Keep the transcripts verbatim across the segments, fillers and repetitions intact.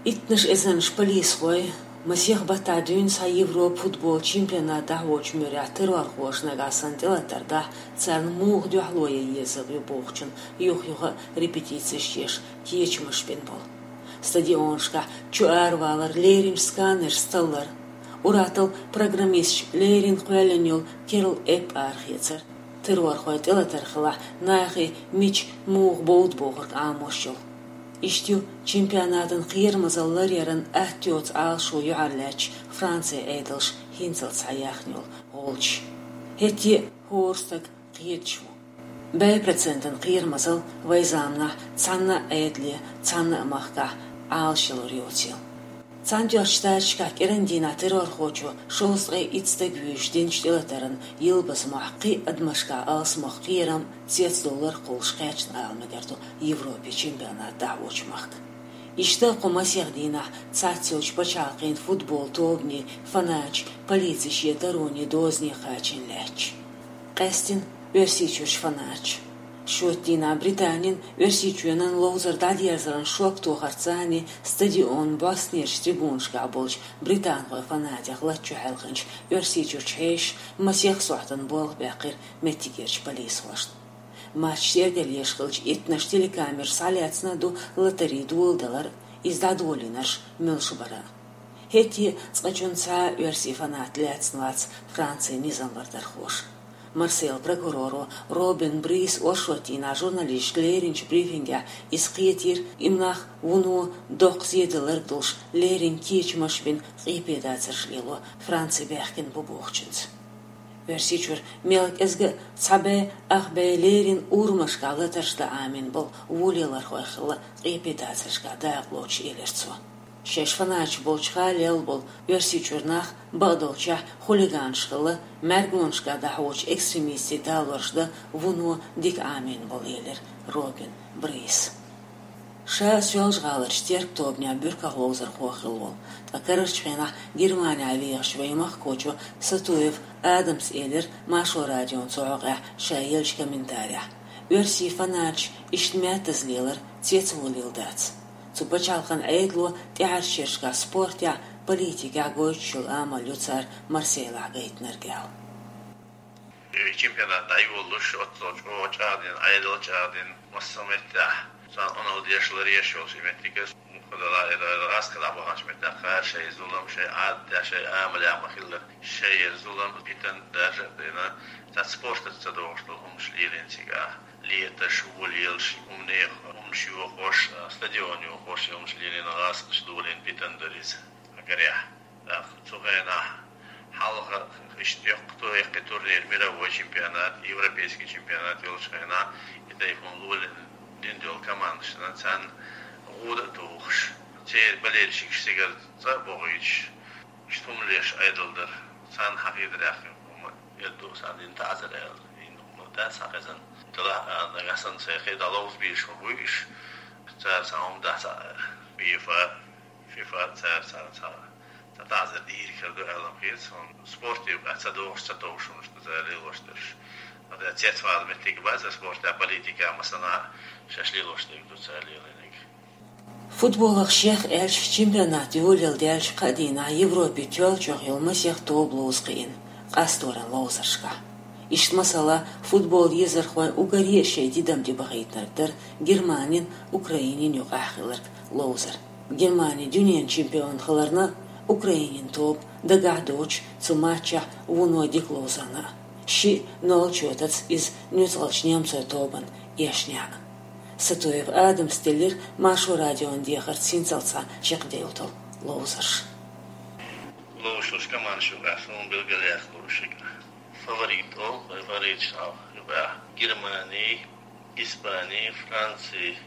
Иттаннаш эзарнаш полисхой масех баттахь дуьйна цхьа Европа футбол чемпионат дӀахьочу муьрехь террорхоша нагахь санна тӀелатар дахь, царна муха дуьхьало ян езарг ю бохучун юха-юха репетицеш еш кечамаш бина болу. Стадионашкахь чу аравалар, леринчу сканерш таллар, ур-атталла программисташ лерина кхоьллина йолу керла эппа арахецар, террорхойн тӀелатар хилахь, нахе мича муха бовда бохург Ӏамош йолу. Иштта ю чемпионатан кхерамазалла ларъяран атта йоцу Ӏалашо юьхьарлаьцча Францин Ӏедалша хӀинцалц схьаяьхна йолу гӀулчаш. ХӀетте а хӀора стаг кхеташ ву. БӀе процентан кхерамазалла вайн заманахь цхьанна а Ӏедале, цхьанна а махкахь Ӏалашъялур йоцийла. Цхьаьнатоьхначу Штаташкахь кӀиран дийнахь террорхочо шовзткъе итт стаг вуьйш динчу тӀелатаран йилбаза мохь кхин а адамашкахь алсамох кхерам, цецдовлар кхуллуш кхаьчна ала мегар ду Европе чемпионат дӀахьочу махка. Иштта кху масех дийнахь цхьацца йолчу пачхьалкхийн футбол тобанийн фанаташ полицин шен таронийн дозане кхачийна лаьтташ. Къаьсттина Оьрсийчуьрчу фанаташ. Шоьтан дийнахь Британин, Оьрсийчоьнан ловзар дӀадерзаран шок тохарца цхьаьна стадионан бӀостанерчу трибунашкахь болчу британхойн фанатех латта чу хьаьлхинчу Оьрсийчуьрчу хьешаша масех сохьтана болх баьккхира меттигерчу полисхошна. Матч тергалъеш хилча, иттаннаш телекамераш схьалаьцна а ду латарийн доладалар а, иза дӀадолийнарш муьлш бара а. ХӀетте а цкъачунна цхьа а оьрсийн фанат лаьцна вац Францин низам бардархоша. Марсейла прокуроро Робин Брис оршот дийнахь журналисташка леринчу брифингехь иза кхетийра, и нах вуно доккха зен даларг долуш леррина кечамаш бина къепедацарш лело Франци баьхкина бу бохучуьнца. Оьрсийчуьра мел кӀезга а цхьа бӀе, ах бӀе леррина урамашкахь латарш дан Ӏамийна болу вон лелорхой хилла къепедацаршкахь дакъалоцуш, элира цо. Шаьш фанаташ болчу хала лелла болу Оьрсийчуьра нах бакъдолчехь хулиганаш хилла, мӀаьргонашкахь дӀахьочу экстремистийн талорш дан вуно дика Ӏамийна болу, элира Робин Брис. Ша Соьлжа-ГӀаларчу Теркан тобанехь буьрках ловзархо хилла волу, ткъа карарчу хенахь Германехь вехаш вайн махкахочо Сатуев Адамс элира Маршо радион цу хьокъехь ша еллачу комментарехь: «Оьрсийн фанаташ иштта маьттаза лелар цецволийла дац. Цу пачхьалкхан Ӏедало тӀаьхьарчу шерашкахь спортехь, политикехь гойтуш йолу амал ю цара Марсейлахь гайтинарг», — аьлла. И чемпионат дӀайолалуш, оццул чӀогӀа чӀагӀдина, Ӏедал чӀагӀдина, массо а меттехь царна къинош деш, ларъеш йолуш и меттиг, муха дала, и гӀазкхи дӀабаханчу меттехь кхара шайн зулам, шайн Ӏадатехь, шайн амалехь ма-хиллара, шайгара зулам, питана даржа а дина, цхьа спортаца ца догӀуш долу хӀуманаш лелийна цигахь. Леташ, вон лелаш, хӀуманех, хӀуманаш йохош, стадион йохош, и хӀуманаш лелийна, гӀазкхаша долийна питана дара иза. Аггарехь. ТӀаккха цу хенахь хьалха иштта йоккха, йоккхий турнир, мировой чемпионат, европейский чемпионат йолчу хенахь, и тайпана лолийна дина долу командашна царна гӀуда а тухуш, церан болельщикаш цигара цӀа а бохуьйтуш, иштта хӀума леш Ӏедал дара. Царна хьан хетарехь хӀума эр ду, царна дина таӀзар аьлла, дина хӀума дац хьан хезна. Делахь а нагахь санна сайн кхин дӀа ловза безаш ма буй уьш, цара цхьа хӀума дац, ФИФА, ФИФА цара царна цхьа цхьа таӀзар дийр хир ду аьлла хета суна. Спорте юкъахь ца догӀуш, ца товш хӀуманаш ду цара лелош дерш. Ада цецвала меттиг бац спортехь, политикехь, массанхьа шаьш лелош дерг ду цара лелийнарг. Футболах шех аьлча, чемпионат йолаелла даьлча кхаа дийнахь Европе тоьллачех йолу масех тоба ловза кхиъна, къасторан ловзаршкахь. Иштта масала, футбол езархойн уггаре а шайн тидам тӀебахийтинарг дара Германин, Украинин юкъахь хилларг ловзар. Германи дуьненан чемпион хиларна, Украинин тоба дагахь доцуш цу матчехь вуно дика ловзарна а. Шиъ ноль чоьтаца иза нуьцкъалчу немцойн тобанна эшнехь а. Сатуев Адамс деллира Маршо радион дехарца хӀинцалц схьа чекхдевлла долу ловзарш. Ловзуш командаш юкъахь суна билгалъяьккхина лууш, фаворит олу, фавориташ юкъахь Германи, Испани, Франци,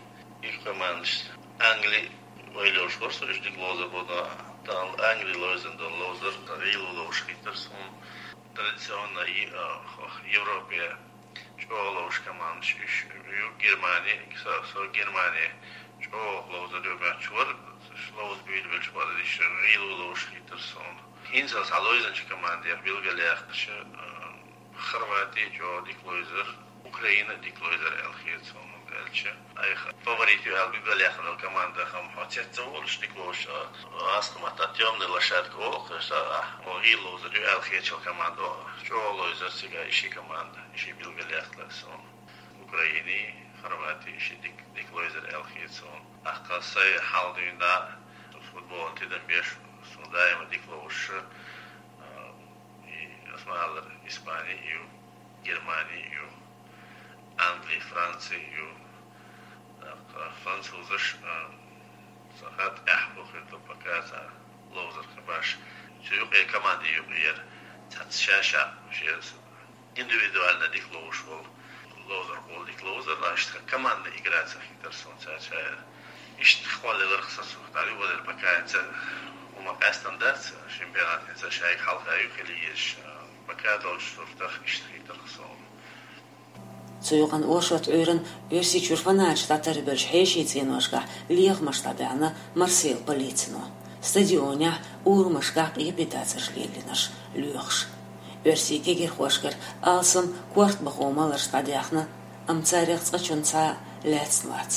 и командаш. Англи вай лелош вара со, уьш дика ловзар бу, но тахана Англи ловзан долу ловзар гӀийла ловзуш хийтара суна. Традиционно и, а, Европе чӀогӀа ловзуш командаш уьш ю. Германи, со, со Германи чӀогӀа ловзар ю моьттуш вара, ловза буьйлабелча бара, уьш гӀийла ловзуш хийтара суна. ХӀинца схьаловзанчу командех билгалъяьккхича, а, Хорвати чӀогӀа дика ловзар, Украина дика ловзар аьлла хета суна. Аьлча, айха фаворит ю аьлла билгалъяьхна команда хӀама хьо цецволуш, дика ловзуш, а, аз хӀама тӀа тёмная лошадка олу, аса, а, хьо гӀийла ловзар ю аьлла хеташ йолу команда, чӀогӀа ловзар цигахь и ши команда, и ши билгалъяьккхира суна. Украинин, Хорватин и ши дика, дика ловзар аьлла хета суна. ТӀаккха сайн хьал дуьйна, футболан тидам беш, суна даима дика ловзуш, а, и, аса ма аллара, Испани ю, Германи ю, Англи, Франци ю, тӀаккха французаш, а, сан хатта тӀаьхьа бу хир ду пока цхьа ловзар хи баш. Цу юкъе команди юкъера цхьацца ша-ша шен индивидуально дика ловзуш волу ловзар, гӀолла дика ловзар, а иштта командная игра ца хетара суна цаьрца. Иштта кхоллаларх сан цунах дӀа ю валар, пока хӀинца хӀума къаьстина дац, чемпионат хӀинца шайга хьалха ю хила езаш, пока долчу суртах иштта хетарх суна. Цу юкъана оршот Ӏуьйранна Оьрсийчуьра фанаташ дӀатарбеллачу хьешийн цӀеношкахь лехамаш дӀадаьхьна Марселан полицино. Стадионехь, урамашкахь къепедацарш лелийнарш лоьхуш. Оьрсийн кегирхошкара алсам корта бахо маларш дӀадаьхьна, амма царех цкъачунна цхьа а лаьцна вац.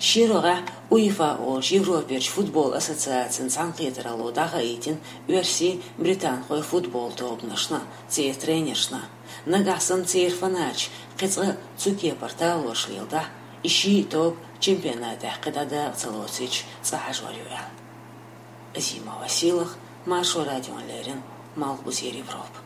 Ши рогӀехь УЕФА олучу Европерчу футбол ассоциацин цхьаьнакхетаралло дӀахаийтина оьрсийн, британхойн футбол тобанашна, церан тренершна. Нагахь санна церан фанаташ кхин цкъа цу кепара талораш леладахь, и ши тоба чемпионатехь кхин дӀа дакъа ца лоцийча цкъа хьажор ю аьлла. Азима Василах, Маршо радиона леррина, Малхбузера Европа.